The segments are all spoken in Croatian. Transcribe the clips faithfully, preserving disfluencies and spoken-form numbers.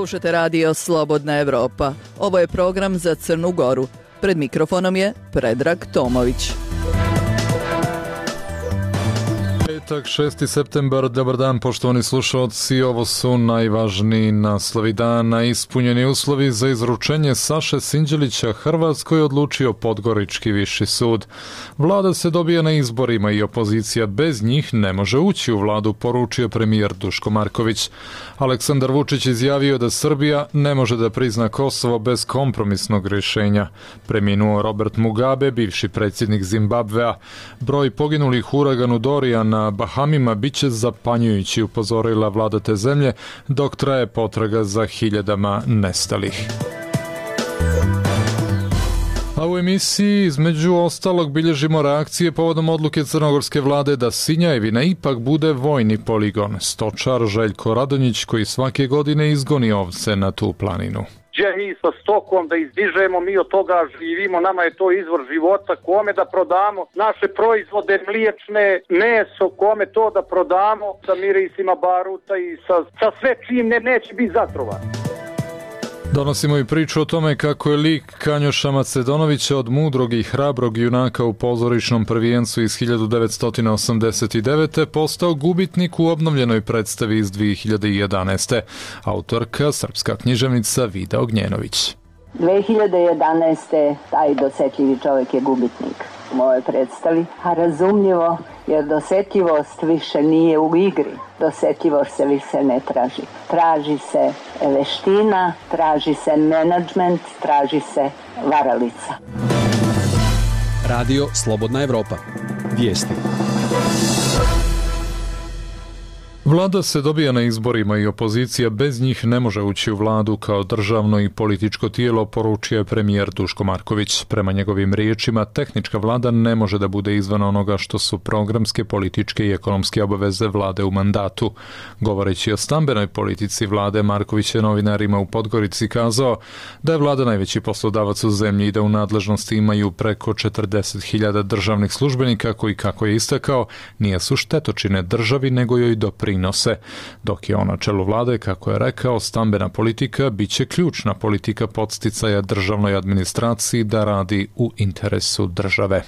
Slušate radio Slobodna Evropa. Ovo je program za Crnu Goru. Pred mikrofonom je Predrag Tomović. Petak, šesti septembar, dobar dan poštovani slušalci, ovo su najvažniji naslovi dana. Ispunjeni uslovi za izručenje Saše Sinđelića Hrvatskoj odlučio Podgorički viši sud. Vlada se dobija na izborima i opozicija bez njih ne može ući u vladu, poručio premijer Duško Marković. Aleksandar Vučić izjavio da Srbija ne može da prizna Kosovo bez kompromisnog rješenja. Preminuo Robert Mugabe, bivši predsjednik Zimbabvea. Broj poginulih u uraganu Dorian na Bahamima biće zapanjujući, upozorila vlada te zemlje, dok traje potraga za hiljadama nestalih. A u emisiji između ostalog bilježimo reakcije povodom odluke crnogorske vlade da Sinjajevina ipak bude vojni poligon. Stočar Željko Radonjić koji svake godine izgoni ovce na tu planinu. I sa stokom da izdižemo, mi od toga živimo, nama je to izvor života, kome da prodamo naše proizvode mliječne, meso, kome to da prodamo sa mirisima baruta i sa, sa sve čim ne, neće biti zatrovan. Donosimo i priču o tome kako je lik Kanjoša Macedonovića od mudrog i hrabrog junaka u pozorišnom prvijencu iz hiljadu devetsto osamdeset devete. postao gubitnik u obnovljenoj predstavi iz dvije hiljade jedanaeste. Autorka, srpska književnica Vida Ognjenović. dvije hiljade jedanaeste. taj dosetljivi čovjek je gubitnik u mojoj predstavi, a razumljivo jer dosetljivost više nije u igri, dosetljivost se više ne traži. Traži se veština, traži se menadžment, traži se varalica. Radio Slobodna Evropa. Vijesti. Vlada se dobija na izborima i opozicija bez njih ne može ući u vladu kao državno i političko tijelo, poručio je premijer Duško Marković. Prema njegovim riječima, tehnička vlada ne može da bude izvan onoga što su programske, političke i ekonomske obaveze vlade u mandatu. Govoreći o stambenoj politici vlade, Marković je novinarima u Podgorici kazao da je vlada najveći poslodavac u zemlji i da u nadležnosti imaju preko četrdeset hiljada državnih službenika koji, kako je istakao, nije su štetočine državi nego joj doprinose. Dok je on na čelu vlade, kako je rekao, stambena politika biće ključna politika podsticaja državnoj administraciji da radi u interesu države.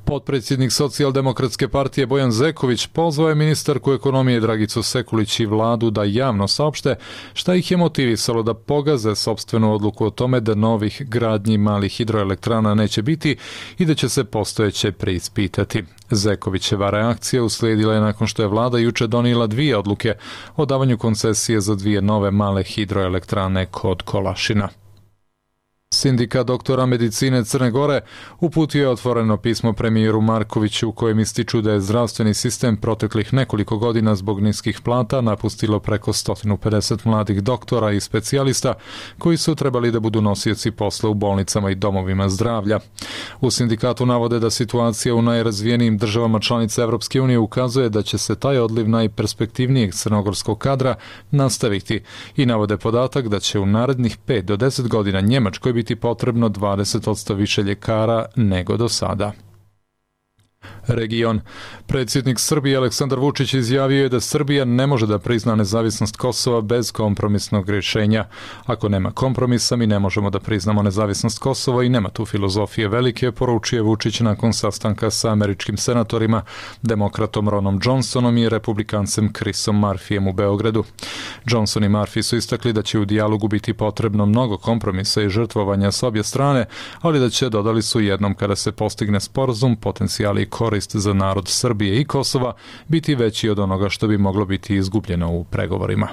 Potpredsjednik Socijaldemokratske partije Bojan Zeković pozvao je ministarku ekonomije Dragicu Sekulić i vladu da javno saopšte šta ih je motivisalo da pogaze sopstvenu odluku o tome da novih gradnji malih hidroelektrana neće biti i da će se postojeće preispitati. Zekovićeva reakcija uslijedila je nakon što je vlada juče donijela dvije odluke o davanju koncesije za dvije nove male hidroelektrane kod Kolašina. Sindikat doktora medicine Crne Gore uputio je otvoreno pismo premijeru Markoviću u kojem ističu da je zdravstveni sistem proteklih nekoliko godina zbog niskih plata napustilo preko sto pedeset mladih doktora i specijalista koji su trebali da budu nosioci posla u bolnicama i domovima zdravlja. U sindikatu navode da situacija u najrazvijenijim državama članica Evropske unije ukazuje da će se taj odliv najperspektivnijeg crnogorskog kadra nastaviti i navode podatak da će u narednih pet do deset godina Njemačkoj biti potrebno dvadeset posto više ljekara nego do sada. Region. Predsjednik Srbije Aleksandar Vučić izjavio je da Srbija ne može da prizna nezavisnost Kosova bez kompromisnog rješenja. Ako nema kompromisa, mi ne možemo da priznamo nezavisnost Kosova i nema tu filozofije velike, poručio Vučić nakon sastanka sa američkim senatorima, demokratom Ronom Johnsonom i republikancem Chrisom Murphyjem u Beogradu. Johnson i Murphy su istakli da će u dijalogu biti potrebno mnogo kompromisa i žrtvovanja s obje strane, ali da će, dodali su, jednom kada se postigne sporazum, potencijali i korist za narod Srbije i Kosova biti veći od onoga što bi moglo biti izgubljeno u pregovorima.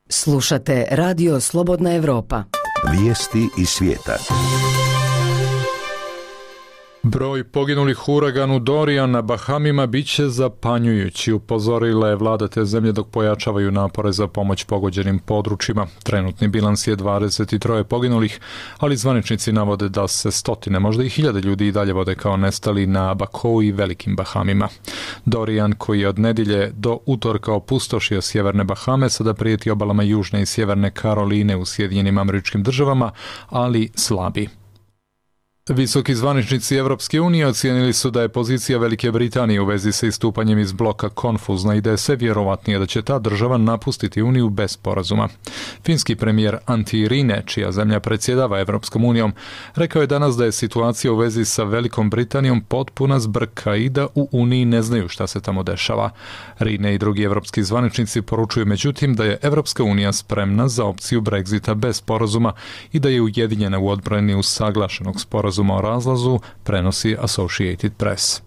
Slušate Radio Slobodna Evropa. Vijesti iz svijeta. Broj poginulih u uraganu Dorian na Bahamima biće zapanjujući, upozorila je vlada te zemlje dok pojačavaju napore za pomoć pogođenim područjima. Trenutni bilans je dvadeset tri poginulih, ali zvaničnici navode da se stotine, možda i hiljade ljudi i dalje vode kao nestali na Abakou i Velikim Bahamima. Dorian, koji je od nedjelje do utorka opustošio sjeverne Bahame, sada prijeti obalama južne i sjeverne Karoline u Sjedinjenim Američkim Državama, ali slabi. Visoki zvaničnici Evropske unije ocijenili su da je pozicija Velike Britanije u vezi sa istupanjem iz bloka konfuzna i da je sve vjerovatnije da će ta država napustiti Uniju bez sporazuma. Finski premijer Antti Rinne, čija zemlja predsjedava Evropskom unijom, rekao je danas da je situacija u vezi sa Velikom Britanijom potpuna zbrka i da u Uniji ne znaju šta se tamo dešava. Rinne i drugi evropski zvaničnici poručuju međutim da je Evropska unija spremna za opciju Brexita bez sporazuma i da je ujedinjena u odbrani usaglašenog sporazuma o razlazu, prenosi Associated Press.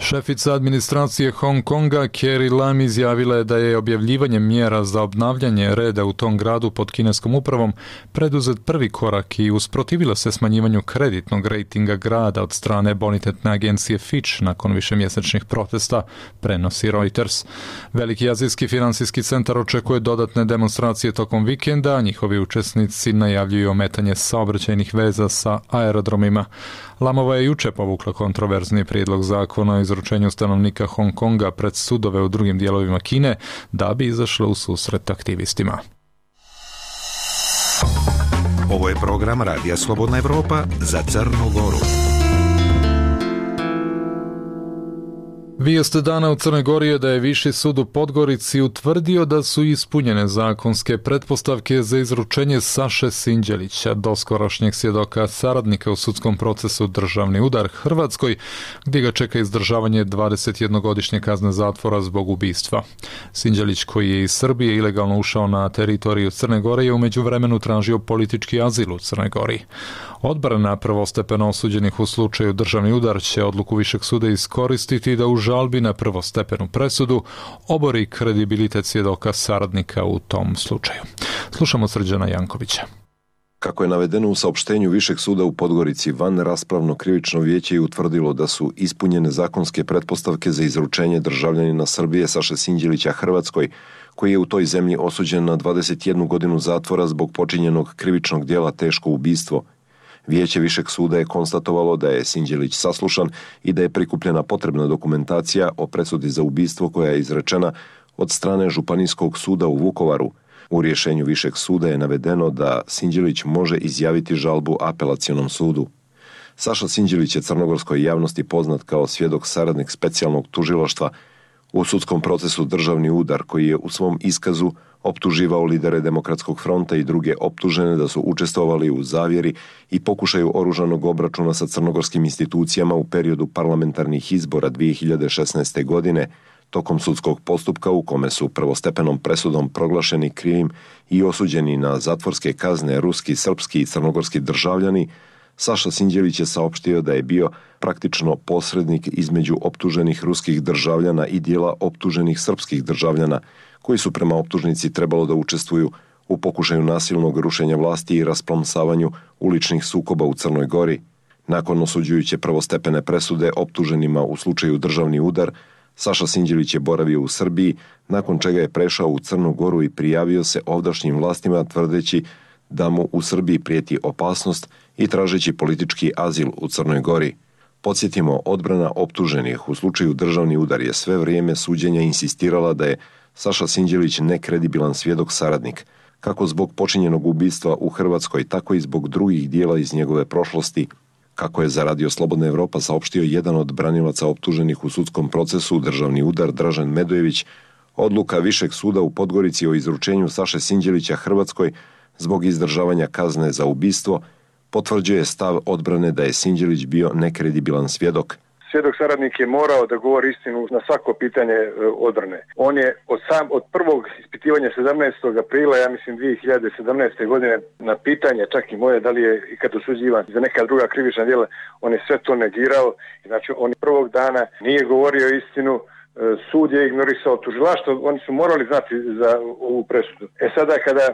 Šefica administracije Hong Konga Carrie Lam izjavila je da je objavljivanjem mjera za obnavljanje reda u tom gradu pod kineskom upravom preduzet prvi korak i usprotivila se smanjivanju kreditnog rejtinga grada od strane bonitetne agencije Fitch nakon višemjesečnih protesta, prenosi Reuters. Veliki azijski financijski centar očekuje dodatne demonstracije tokom vikenda, a njihovi učesnici najavljuju ometanje saobraćajnih veza sa aerodromima. Lamova je juče povukla kontroverzni prijedlog zakona o izručenju stanovnika Hong Konga pred sudove u drugim dijelovima Kine da bi izašla u susret aktivistima. Ovo je program Radija Slobodna Evropa za Crnu Goru. Vijest dana u Crnoj Gori je da je Viši sud u Podgorici utvrdio da su ispunjene zakonske pretpostavke za izručenje Saše Sinđelića, doskorašnjeg svjedoka saradnika u sudskom procesu Državni udar Hrvatskoj, gdje ga čeka izdržavanje dvadesetjednogodišnje kazne zatvora zbog ubistva. Sinđelić, koji je iz Srbije ilegalno ušao na teritoriju Crne Gore, je u međuvremenu tražio politički azil u Crnoj Gori. Odbrana prvostepeno osuđenih u slučaju Državni udar će odluku Višeg suda iskoristiti da u žalbi na prvostepenu presudu obori kredibilitet svjedoka saradnika u tom slučaju. Slušamo Srđana Jankovića. Kako je navedeno u saopštenju Višeg suda u Podgorici, vanraspravno krivično vijeće je utvrdilo da su ispunjene zakonske pretpostavke za izručenje državljanina Srbije Saše Sinđelića Hrvatskoj, koji je u toj zemlji osuđen na dvadeset jednu godinu zatvora zbog počinjenog krivičnog djela teško ubistvo. Vijeće Višeg suda je konstatovalo da je Sinđelić saslušan i da je prikupljena potrebna dokumentacija o presudi za ubistvo koja je izrečena od strane Županijskog suda u Vukovaru. U rješenju Višeg suda je navedeno da Sinđelić može izjaviti žalbu apelacionom sudu. Saša Sinđelić je crnogorskoj javnosti poznat kao svjedok saradnik specijalnog tužilaštva u sudskom procesu Državni udar, koji je u svom iskazu optuživao lidere Demokratskog fronta i druge optužene da su učestvovali u zavjeri i pokušaju oružanog obračuna sa crnogorskim institucijama u periodu parlamentarnih izbora dvije hiljade šesnaeste. godine, tokom sudskog postupka u kome su prvostepenom presudom proglašeni krivim i osuđeni na zatvorske kazne ruski, srpski i crnogorski državljani. Saša Sinđelić je saopštio da je bio praktično posrednik između optuženih ruskih državljana i dijela optuženih srpskih državljana, koji su prema optužnici trebalo da učestvuju u pokušaju nasilnog rušenja vlasti i rasplomsavanju uličnih sukoba u Crnoj Gori. Nakon osuđujuće prvostepene presude optuženima u slučaju Državni udar, Saša Sinđelić je boravio u Srbiji, nakon čega je prešao u Crnu Goru i prijavio se ovdašnjim vlastima tvrdeći da mu u Srbiji prijeti opasnost i tražeći politički azil u Crnoj Gori. Podsjetimo, odbrana optuženih u slučaju Državni udar je sve vrijeme suđenja insistirala da je Saša Sinđelić nekredibilan svjedok saradnik, kako zbog počinjenog ubistva u Hrvatskoj, tako i zbog drugih dijela iz njegove prošlosti. Kako je za Radio Slobodna Evropa saopštio jedan od branilaca optuženih u sudskom procesu Državni udar Dražen Medojević, odluka Višeg suda u Podgorici o izručenju Saše Sinđelića Hrvatskoj zbog izdržavanja kazne za ubistvo potvrđuje stav odbrane da je Sinđelić bio nekredibilan svjedok. Svjedok saradnik je morao da govori istinu na svako pitanje odbrane. On je od sam od prvog ispitivanja sedamnaestog aprila, ja mislim dvije hiljade sedamnaeste. godine, na pitanje čak i moje da li je ikad osuđivan za neka druga krivična djela, on je sve to negirao. Znači on prvog dana nije govorio istinu, sud je ignorisao tužilaštvo, oni su morali znati za ovu presudu. E sada kada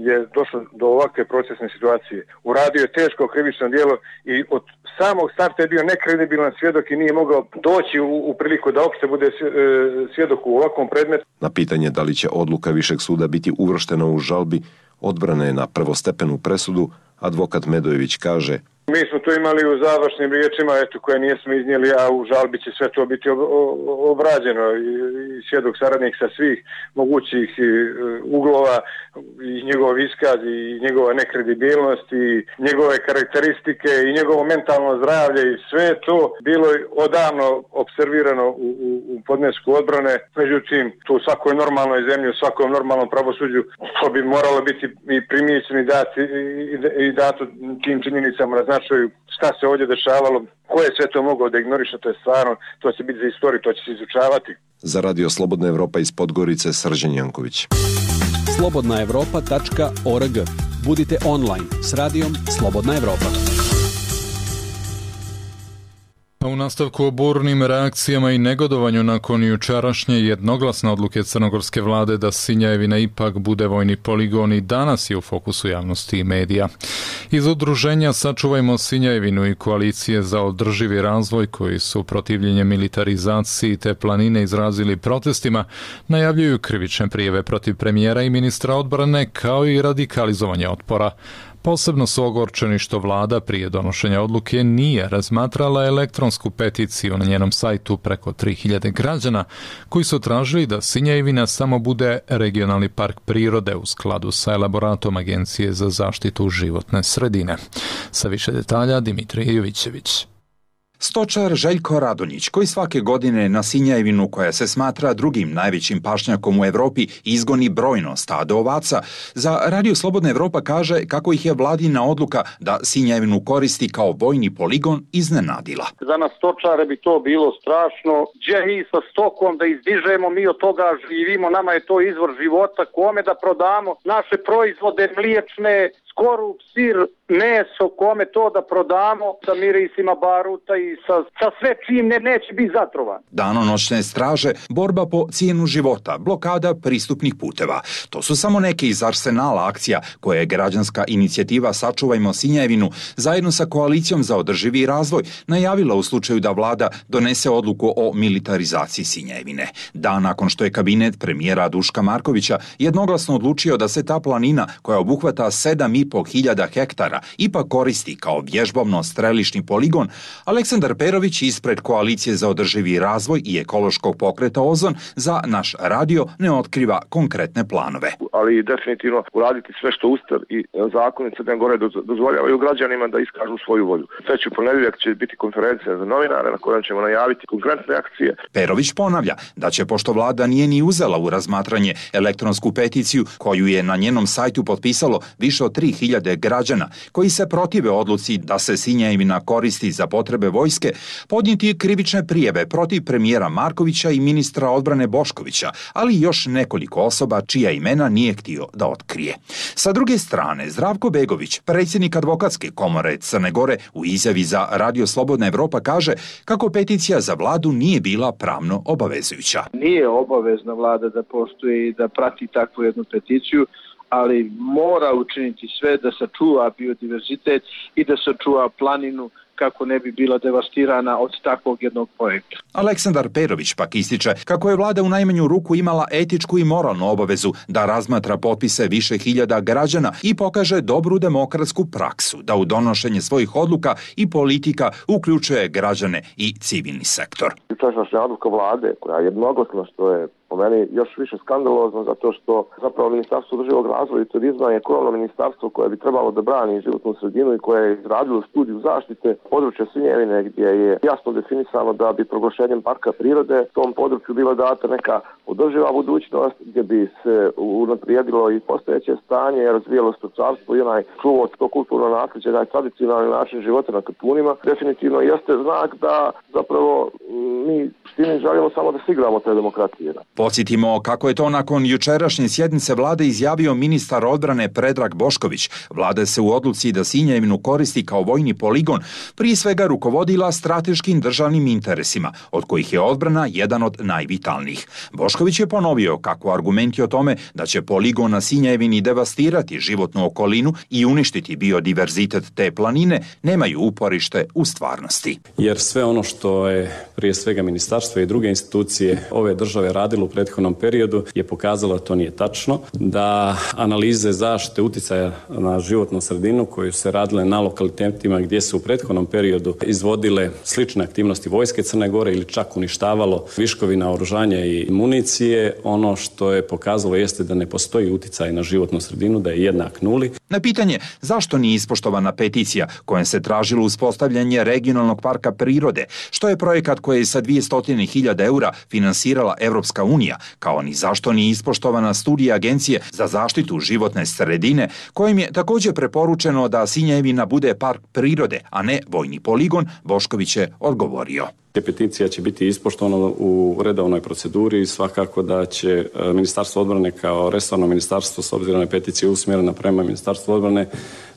je došlo do ovakve procesne situacije, uradio je teško krivično djelo i od samog starta je bio nekredibilan svjedok i nije mogao doći u, u priliku da uopšte bude svjedok u ovakvom predmetu. Na pitanje da li će odluka Višeg suda biti uvrštena u žalbi odbrane na prvostepenu presudu, advokat Medojević kaže: Mi smo to imali u završnim riječima, eto, koje nijesmo iznijeli, a u žalbi će sve to biti obrađeno i, i svjedok saradnik sa svih mogućih uglova i njegov iskaz i njegova nekredibilnost i njegove karakteristike i njegovo mentalno zdravlje i sve to bilo odavno observirano u, u, u podnesku odbrane. Međutim, to u svakoj normalnoj zemlji, u svakom normalnom pravosuđu, to bi moralo biti i primijećeno i, dati, i, i dato tim činjenicama na značaju šta se ovdje dešavalo, ko je sve to mogao da ignoriše, to je stvarno, to će biti za istoriju, to će se izučavati. Za Radio Slobodna Evropa iz Podgorice, Srđan Janković. slobodna evropa tačka org. Budite online s radijom Slobodna Evropa. A u nastavku o burnim reakcijama i negodovanju nakon jučerašnje jednoglasne odluke crnogorske vlade da Sinjevina ipak bude vojni poligon i danas je u fokusu javnosti i medija. Iz udruženja Sačuvajmo Sinjevinu i koalicije za održivi razvoj koji su protivljenje militarizaciji te planine izrazili protestima, najavljuju krivične prijave protiv premijera i ministra odbrane kao i radikalizovanje otpora. Posebno su ogorčeni što vlada prije donošenja odluke nije razmatrala elektronsku peticiju na njenom sajtu preko tri hiljade građana koji su tražili da Sinjevina samo bude regionalni park prirode u skladu sa elaboratom Agencije za zaštitu životne sredine. Sa više detalja Dimitrij Jovićević. Stočar Željko Radonjić, koji svake godine na Sinjevinu, koja se smatra drugim najvećim pašnjakom u Evropi, izgoni brojno stado ovaca, za Radio Slobodna Evropa kaže kako ih je vladina odluka da Sinjevinu koristi kao vojni poligon iznenadila. Za nas stočare bi to bilo strašno. Gdje mi sa stokom da izdižemo, mi od toga živimo, nama je to izvor života, kome da prodamo naše proizvode mliječne, skorup, sir, meso, kome to da prodamo sa mirisima baruta i sa, sa sve čim ne, neće biti zatrovan. Danonoćne straže, borba po cijenu života, blokada pristupnih puteva. To su samo neke iz arsenala akcija koje je građanska inicijativa Sačuvajmo Sinjevinu zajedno sa koalicijom za održivi razvoj najavila u slučaju da vlada donese odluku o militarizaciji Sinjevine. Dan nakon što je kabinet premijera Duška Markovića jednoglasno odlučio da se ta planina koja obuhvata sedam i po hiljada hektara ipak koristi kao vježbovno-strelišni poligon, Aleksandar Perović ispred koalicije za održivi razvoj i ekološkog pokreta Ozon za naš radio ne otkriva konkretne planove. Ali definitivno uraditi sve što Ustav i zakoni Crne Gore dozvoljavaju građanima da iskažu svoju volju. Treći ponedjeljak će biti konferencija za novinare na kojoj ćemo najaviti konkretne akcije. Perović ponavlja da će, pošto vlada nije ni uzela u razmatranje elektronsku peticiju koju je na njenom sajtu potpisalo više od tri hiljade građana koji se protive odluci da se Sinjevina koristi za potrebe vojske, podnijeti krivične prijave protiv premijera Markovića i ministra odbrane Boškovića, ali još nekoliko osoba čija imena nije htio da otkrije. Sa druge strane, Zdravko Begović, predsjednik advokatske komore Crne Gore, u izjavi za Radio Slobodna Evropa kaže kako peticija za vladu nije bila pravno obavezujuća. Nije obavezna vlada da postoji i da prati takvu jednu peticiju, ali mora učiniti sve da sačuva biodiverzitet i da sačuva planinu kako ne bi bila devastirana od takvog jednog projekta. Aleksandar Perović pak ističe kako je vlada u najmanju ruku imala etičku i moralnu obavezu da razmatra potpise više hiljada građana i pokaže dobru demokratsku praksu da u donošenje svojih odluka i politika uključuje građane i civilni sektor. Jučerašnja odluka vlade koja je jednoglasna, što je po meni još više skandalozno, zato što zapravo Ministarstvo održivog razvoja i turizma je krovno ministarstvo koje bi trebalo da brani životnu sredinu i koje je izradilo studiju zaštite područja Sinjevine gdje je jasno definisano da bi proglašenjem parka prirode tom području bila data neka održiva budućnost gdje bi se unaprijedilo i postojeće stanje, razvijalo stočarstvo i onaj čuvo to kulturno nasljeđe, onaj tradicionalni način života na Kapunima. Definitivno jeste znak da zapravo mi s tim želimo samo da se igramo te demokratije. Podsjetimo kako je to nakon jučerašnje sjednice vlade izjavio ministar odbrane Predrag Bošković. Vlada se u odluci da Sinjevinu koristi kao vojni poligon prije svega rukovodila strateškim državnim interesima, od kojih je odbrana jedan od najvitalnijih. Bošković je ponovio kako argumenti o tome da će poligon na Sinjevini devastirati životnu okolinu i uništiti biodiverzitet te planine nemaju uporište u stvarnosti. Jer sve ono što je prije svega ministarstvo i druge institucije ove države radilo prethodnom periodu je pokazalo da to nije tačno, da analize zaštite uticaja na životnu sredinu koje su se radile na lokalitetima gdje su u prethodnom periodu izvodile slične aktivnosti vojske Crne Gore ili čak uništavalo viškovi naoružanja i municije, ono što je pokazalo jeste da ne postoji uticaj na životnu sredinu, da je jednak nuli. Na pitanje zašto nije ispoštovana peticija kojom se tražilo uspostavljanje regionalnog parka prirode, što je projekat koji je sa dvjesto hiljada eura finansirala Evropska unija, kao ni zašto nije ispoštovana studija Agencije za zaštitu životne sredine, kojim je također preporučeno da Sinjevina bude park prirode, a ne vojni poligon, Bošković je odgovorio. Peticija će biti ispoštovana u redovnoj proceduri i svakako da će Ministarstvo odbrane kao resorno ministarstvo, s obzirom na peticiju usmjerena prema Ministarstvu odbrane,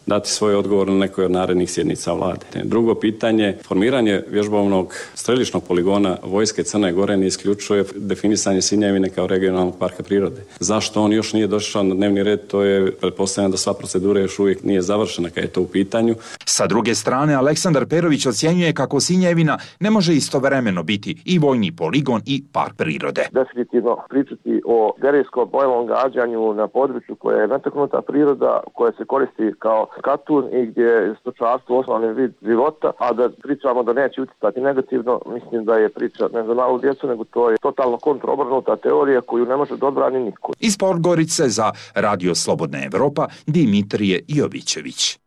dati svoj odgovor na nekoj od narednih sjednica vlade. Drugo pitanje, formiranje vježbovnog strelišnog poligona vojske Crne Gore ne isključuje definisanje Sinjevine kao regionalnog parka prirode. Zašto on još nije došao na dnevni red, to je pretpostavljeno da sva procedura još uvijek nije završena kad je to u pitanju. Sa druge strane, Aleksandar Perović ocjenjuje kako Sinjevina ne može istovremeno biti i vojni poligon i park prirode. Definitivno pričati o derijskom bojnom gađanju na području koje je netaknuta priroda, koja se koristi kao katun i gdje je stočarstvo osnovni vid života, a da pričamo da neće utjecati negativno, mislim da je priča ne za malu djecu, nego to je totalno kontroobrnuta teorija koju ne može da odbrani niko. Iz Podgorice za Radio Slobodna Evropa, Dimitrije Jovićević.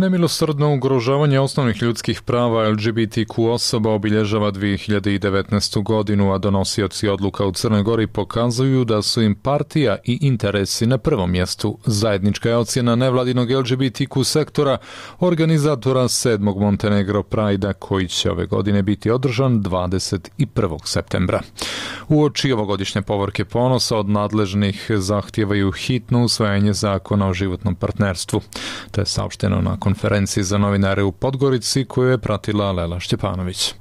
Nemilosrdno ugrožavanje osnovnih ljudskih prava L G B T Q osoba obilježava dvije hiljade devetnaestu. godinu, a donosioci odluka u Crnoj Gori pokazuju da su im partija i interesi na prvom mjestu. Zajednička je ocjena nevladinog L G B T Q sektora, organizatora sedmog Montenegro Pride-a, koji će ove godine biti održan dvadeset prvog septembra. Uoči ovogodišnje povorke ponosa od nadležnih zahtijevaju hitno usvajanje zakona o životnom partnerstvu. To je saopšteno na konferenciji za novinare u Podgorici koju je pratila Lela Šćepanović.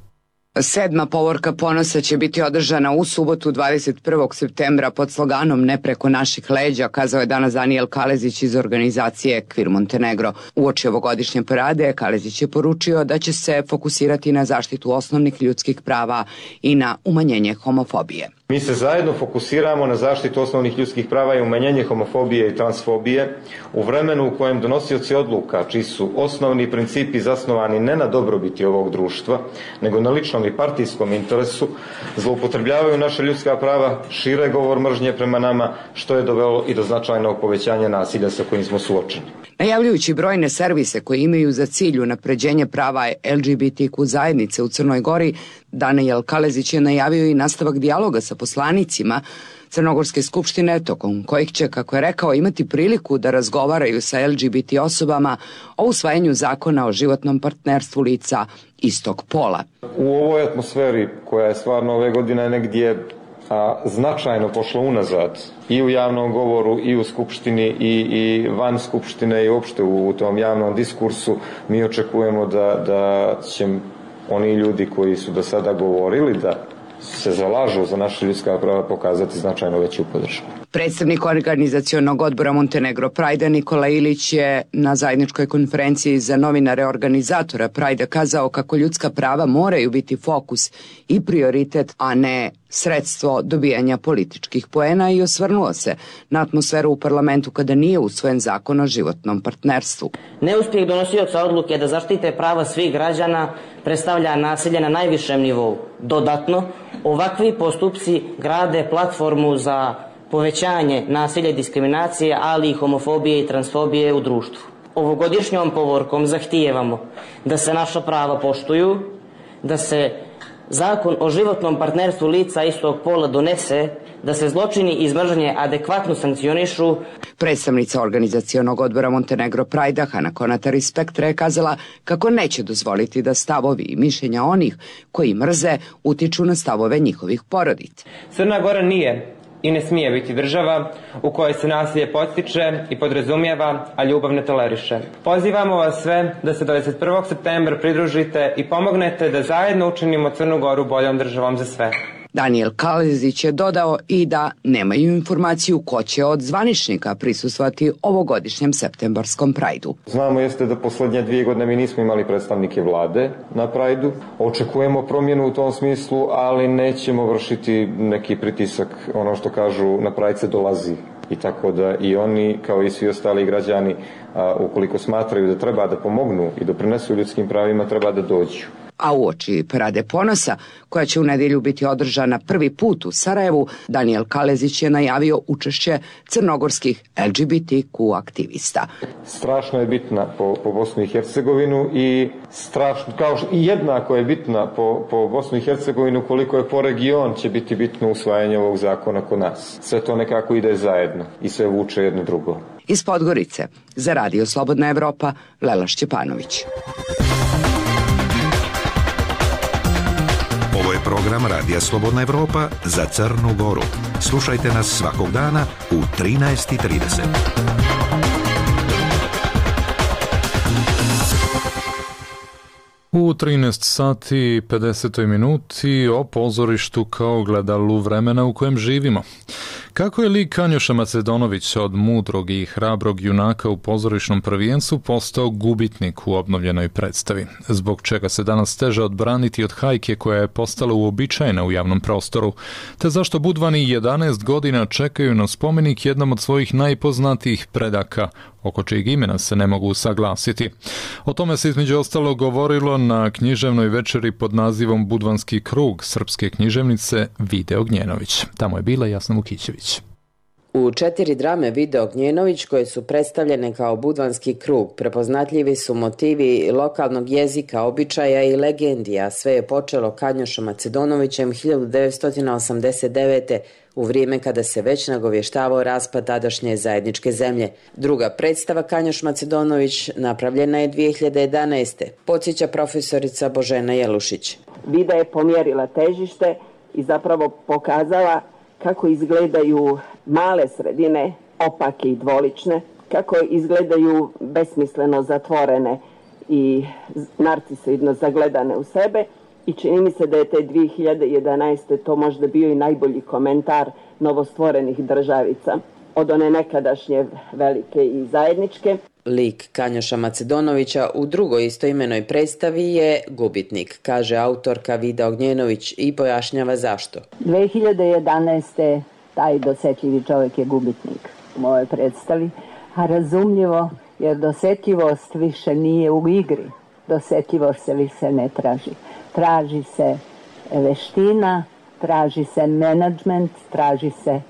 Sedma povorka ponosa će biti održana u subotu dvadeset prvog septembra pod sloganom Ne preko naših leđa, kazao je danas Danijel Kalezić iz organizacije Queer Montenegro. Uoči ovogodišnje parade Kalezić je poručio da će se fokusirati na zaštitu osnovnih ljudskih prava i na umanjenje homofobije. Mi se zajedno fokusiramo na zaštitu osnovnih ljudskih prava i umanjenje homofobije i transfobije u vremenu u kojem donosioci odluka, čiji su osnovni principi zasnovani ne na dobrobiti ovog društva, nego na ličnom i partijskom interesu, zloupotrebljavaju naše ljudska prava, šire govor mržnje prema nama, što je dovelo i do značajnog povećanja nasilja sa kojim smo suočeni. Najavljujući brojne servise koji imaju za cilj unapređenje prava L G B T Q zajednice u Crnoj Gori, Danijel Kalezić je najavio i nastavak dijaloga sa poslanicima Crnogorske skupštine, tokom kojih će, kako je rekao, imati priliku da razgovaraju sa L G B T osobama o usvajanju zakona o životnom partnerstvu lica istog pola. U ovoj atmosferi koja je stvarno ove godine negdje a, značajno pošlo unazad i u javnom govoru i u skupštini i, i van skupštine i uopšte u, u tom javnom diskursu, mi očekujemo da, da će oni ljudi koji su do sada govorili da se zalažu za naše ljudska prava pokazati značajno veću podršku. Predstavnik organizacionog odbora Montenegro Pride Nikola Ilić je na zajedničkoj konferenciji za novinare organizatora Pride kazao kako ljudska prava moraju biti fokus i prioritet, a ne sredstvo dobijanja političkih poena, i osvrnuo se na atmosferu u parlamentu kada nije usvojen zakon o životnom partnerstvu. Neuspjeh donosioca odluke da zaštite prava svih građana predstavlja nasilje na najvišem nivou. Dodatno, ovakvi postupci grade platformu za povećanje nasilja i diskriminacije, ali i homofobije i transfobije u društvu. Ovogodišnjom povorkom zahtijevamo da se naša prava poštuju, da se zakon o životnom partnerstvu lica istog pola donese, da se zločini iz mržnje adekvatno sankcionišu. Predstavnica organizacionog odbora Montenegro Pride-a Hana Konatar iz Spektra je kazala kako neće dozvoliti da stavovi i mišljenja onih koji mrze utiču na stavove njihovih porodica. Crna Gora nije i ne smije biti država u kojoj se nasilje podstiče i podrazumijeva, a ljubav ne toleriše. Pozivamo vas sve da se dvadeset prvog septembra pridružite i pomognete da zajedno učinimo Crnu Goru boljom državom za sve. Danijel Kalezić je dodao i da nemaju informaciju ko će od zvaničnika prisustvovati ovogodišnjem septembarskom Prajdu. Znamo jeste da posljednje dvije godine mi nismo imali predstavnike vlade na Prajdu. Očekujemo promjenu u tom smislu, ali nećemo vršiti neki pritisak, ono što kažu na Prajd se dolazi. I tako da i oni, kao i svi ostali građani, a, ukoliko smatraju da treba da pomognu i doprinesu ljudskim pravima, treba da dođu. A uoči Parade ponosa, koja će u nedjelju biti održana prvi put u Sarajevu, Danijel Kalezić je najavio učešće crnogorskih L G B T Q aktivista. Strašno je bitna po, po Bosnu i Hercegovinu i strašno, kao što, i jednako je bitna po, po Bosnu i Hercegovinu koliko je po region će biti bitno usvajanje ovog zakona kod nas. Sve to nekako ide zajedno i sve vuče jedno drugo. Iz Podgorice, za Radio Slobodna Evropa, Lela Šćepanović. Ovo je program Radija Slobodna Evropa za Crnu Goru. Slušajte nas svakog dana u trinaest i trideset. U trinaest sati i pedeset minuti o pozorištu kao gledalu vremena u kojem živimo. Kako je lik Kanjoša Macedonović od mudrog i hrabrog junaka u pozorišnom prvenstvu postao gubitnik u obnovljenoj predstavi? Zbog čega se danas teže odbraniti od hajke koja je postala uobičajena u javnom prostoru? Te zašto Budvani jedanaest godina čekaju na spomenik jednom od svojih najpoznatijih predaka, oko čijeg imena se ne mogu saglasiti? O tome se između ostalo govorilo na književnoj večeri pod nazivom Budvanski krug srpske književnice Vide Ognjenović. Tamo je bila Jasna Vukićević. U četiri drame Vide Ognjenović, koje su predstavljene kao Budvanski krug, prepoznatljivi su motivi lokalnog jezika, običaja i legendi, a sve je počelo Kanjošom Macedonovićem hiljadu devetsto osamdeset devete. u vrijeme kada se već nagovještavao raspad tadašnje zajedničke zemlje. Druga predstava Kanjoš Macedonović napravljena je dvije hiljade jedanaeste. Podsjeća profesorica Božena Jelušić. Vida je pomjerila težište i zapravo pokazala kako izgledaju male sredine, opake i dvolične, kako izgledaju besmisleno zatvorene i narcisoidno zagledane u sebe. I čini mi se da je te dvije hiljade jedanaeste. to možda bio i najbolji komentar novostvorenih državica, od one nekadašnje velike i zajedničke. Lik Kanjoša Macedonovića u drugoj istoimenoj predstavi je gubitnik, kaže autorka Vida Ognjenović i pojašnjava zašto. dvije hiljade jedanaeste. taj dosetljivi čovjek je gubitnik u mojoj predstavi, a razumljivo jer dosetljivost više nije u igri, dosetljivost se više ne traži. Traži se veština, traži se menadžment, traži se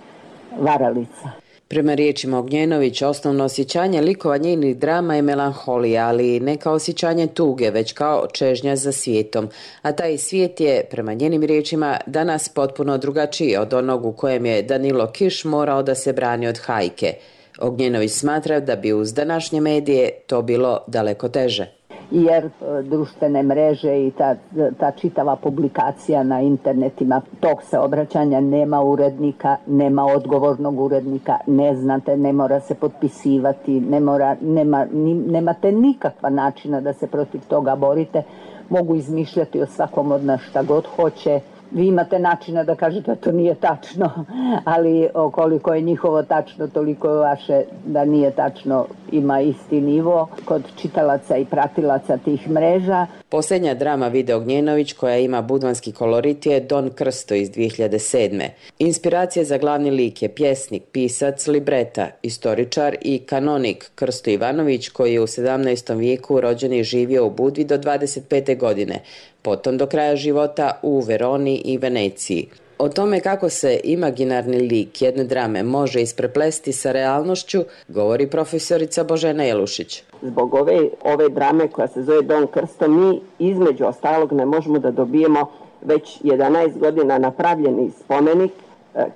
varalica. Prema riječima Ognjenović, osnovno osjećanje likova njenih drama je melanholija, ali ne kao osjećanje tuge, već kao čežnja za svijetom. A taj svijet je, prema njenim riječima, danas potpuno drugačiji od onog u kojem je Danilo Kiš morao da se brani od hajke. Ognjenović smatra da bi uz današnje medije to bilo daleko teže. Jer društvene mreže i ta, ta čitava publikacija na internetima, tog se obraćanja nema urednika, nema odgovornog urednika, ne znate, ne mora se potpisivati, ne mora, nema, ni, nemate nikakva načina da se protiv toga borite, mogu izmišljati o svakom od nas šta god hoće. Vi imate načina da kažete da to nije tačno, ali koliko je njihovo tačno, toliko je vaše da nije tačno, ima isti nivo kod čitalaca i pratilaca tih mreža. Posljednja drama Vide Ognjenović koja ima budvanski kolorit je Don Krsto iz dvije hiljade sedme. Inspiracija za glavni lik je pjesnik, pisac, libreta, istoričar i kanonik Krsto Ivanović koji je u sedamnaestom vijeku rođen i živio u Budvi do dvadeset pete godine. Potom do kraja života u Veroni i Veneciji. O tome kako se imaginarni lik jedne drame može ispreplesti sa realnošću, govori profesorica Božena Jelušić. Zbog ove, ove drame koja se zove Don Krsto, mi između ostalog ne možemo da dobijemo već jedanaest godina napravljeni spomenik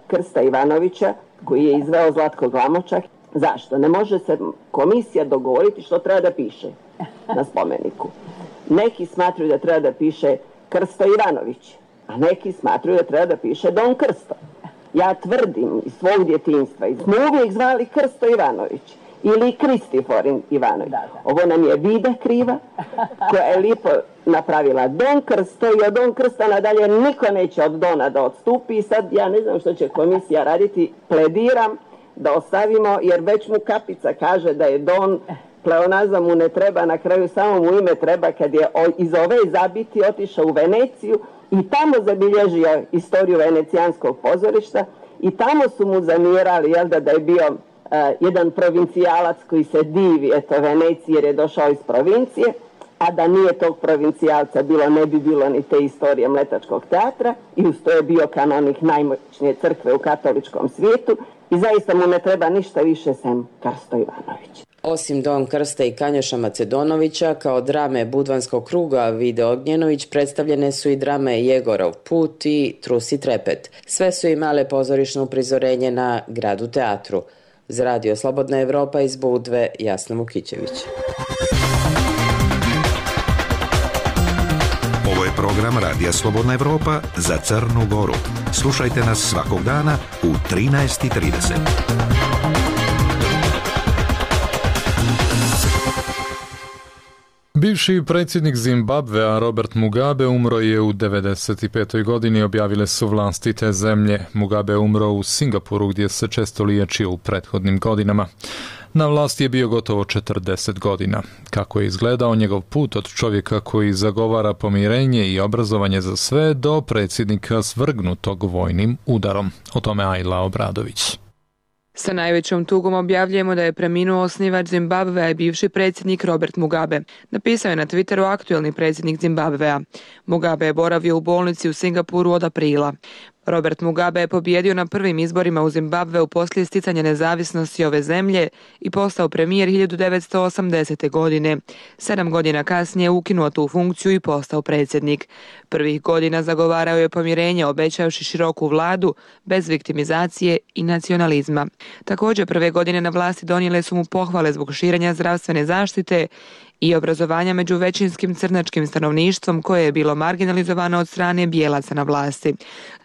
Krsta Ivanovića koji je izveo Zlatko Glamočak. Zašto? Ne može se komisija dogovoriti što treba da piše na spomeniku. Neki smatruju da treba da piše Krsto Ivanović, a neki smatruju da treba da piše Don Krsto. Ja tvrdim iz svog djetinjstva, smo uvijek zvali Krsto Ivanović ili Kristifor Ivanović. Ovo nam je Vida kriva, koja je lijepo napravila Don Krst, to i od Don Krsta nadalje niko neće od Dona da odstupi i sad ja ne znam što će komisija raditi, plediram da ostavimo, jer već mu Kapica kaže da je Don, pleonazam mu ne treba, na kraju samo mu ime treba kad je iz ove zabiti otišao u Veneciju i tamo zabilježio istoriju venecijanskog pozorišta i tamo su mu zamjerali, jel da, da je bio uh, jedan provincijalac koji se divi, eto, Veneciji jer je došao iz provincije, a da nije tog provincijalca bilo, ne bi bilo ni te istorije Mletačkog teatra i uz to je bio kanonik najmoćnije crkve u katoličkom svijetu i zaista mu ne treba ništa više sem Krsto Ivanović. Osim Don Krsta i Kanjoša Macedonovića, kao drame Budvanskog kruga Vide Ognjenović predstavljene su i drame Jegorov put i Trusi trepet. Sve su imale pozorišno uprizorenje na Gradu teatru. Za Radio Slobodna Evropa iz Budve, Jasna Vukićević. Ovo je program Radija Slobodna Evropa za Crnu Goru. Slušajte nas svakog dana u trinaest i trideset. Bivši predsjednik Zimbabvea Robert Mugabe umro je u devedeset petoj godini, objavile su vlasti te zemlje. Mugabe umro u Singapuru gdje se često liječio u prethodnim godinama. Na vlasti je bio gotovo četrdeset godina. Kako je izgledao njegov put od čovjeka koji zagovara pomirenje i obrazovanje za sve do predsjednika svrgnutog vojnim udarom. O tome Ajla Obradović. Sa najvećom tugom objavljujemo da je preminuo osnivač Zimbabvea i bivši predsjednik Robert Mugabe. Napisao je na Twitteru aktuelni predsjednik Zimbabvea. Mugabe je boravio u bolnici u Singapuru od aprila. Robert Mugabe je pobijedio na prvim izborima u Zimbabveu poslije sticanja nezavisnosti ove zemlje i postao premijer hiljadu devetsto osamdesete. godine. Sedam godina kasnije ukinuo tu funkciju i postao predsjednik. Prvih godina zagovarao je pomirenje, obećavši široku vladu, bez viktimizacije i nacionalizma. Također prve godine na vlasti donijele su mu pohvale zbog širenja zdravstvene zaštite i obrazovanja među većinskim crnačkim stanovništvom koje je bilo marginalizovano od strane bijelaca na vlasti.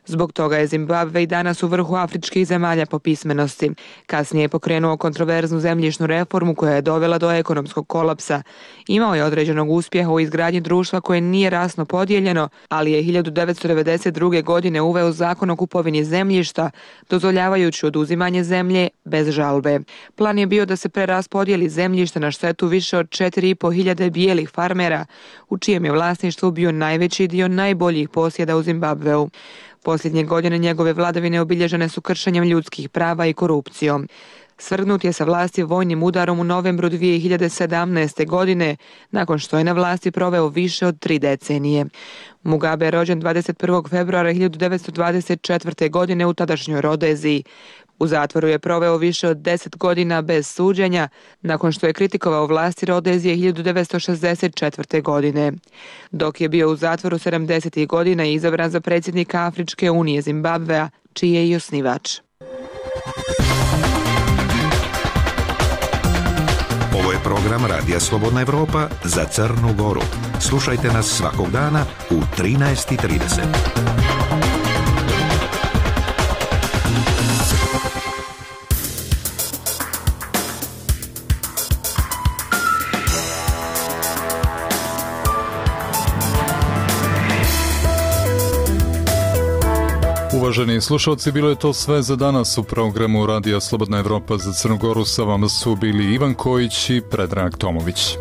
Zbog toga je Zimbabve i danas u vrhu afričkih zemalja po pismenosti. Kasnije je pokrenuo kontroverznu zemljišnu reformu koja je dovela do ekonomskog kolapsa. Imao je određenog uspjeha u izgradnji društva koje nije rasno podijeljeno, ali je hiljadu devetsto devedeset druge. godine uveo zakon o kupovini zemljišta, dozvoljavajući oduzimanje zemlje bez žalbe. Plan je bio da se preraspodijeli zemljište na štetu više od četiri i po hiljade bijelih farmera, u čijem je vlasništvu bio najveći dio najboljih posjeda u Zimbabveu. Posljednje godine njegove vladavine obilježene su kršenjem ljudskih prava i korupcijom. Svrgnut je sa vlasti vojnim udarom u novembru dvije hiljade sedamnaeste. godine, nakon što je na vlasti proveo više od tri decenije. Mugabe je rođen dvadeset prvog februara hiljadu devetsto dvadeset četvrte. godine u tadašnjoj Rodeziji. U zatvoru je proveo više od deset godina bez suđenja, nakon što je kritikovao vlasti Rodezije hiljadu devetsto šezdeset četvrte. godine. Dok je bio u zatvoru sedamdesetih. godina i izabran za predsjednika Afričke unije Zimbabvea, čiji je i osnivač. Ovo je program Radija Slobodna Evropa za Crnu Goru. Slušajte nas svakog dana u trinaest i trideset. Uvaženi slušalci, bilo je to sve za danas u programu Radija Slobodna Evropa za Crnu Goru. Sa vama su bili Ivan Kojić i Predrag Tomović.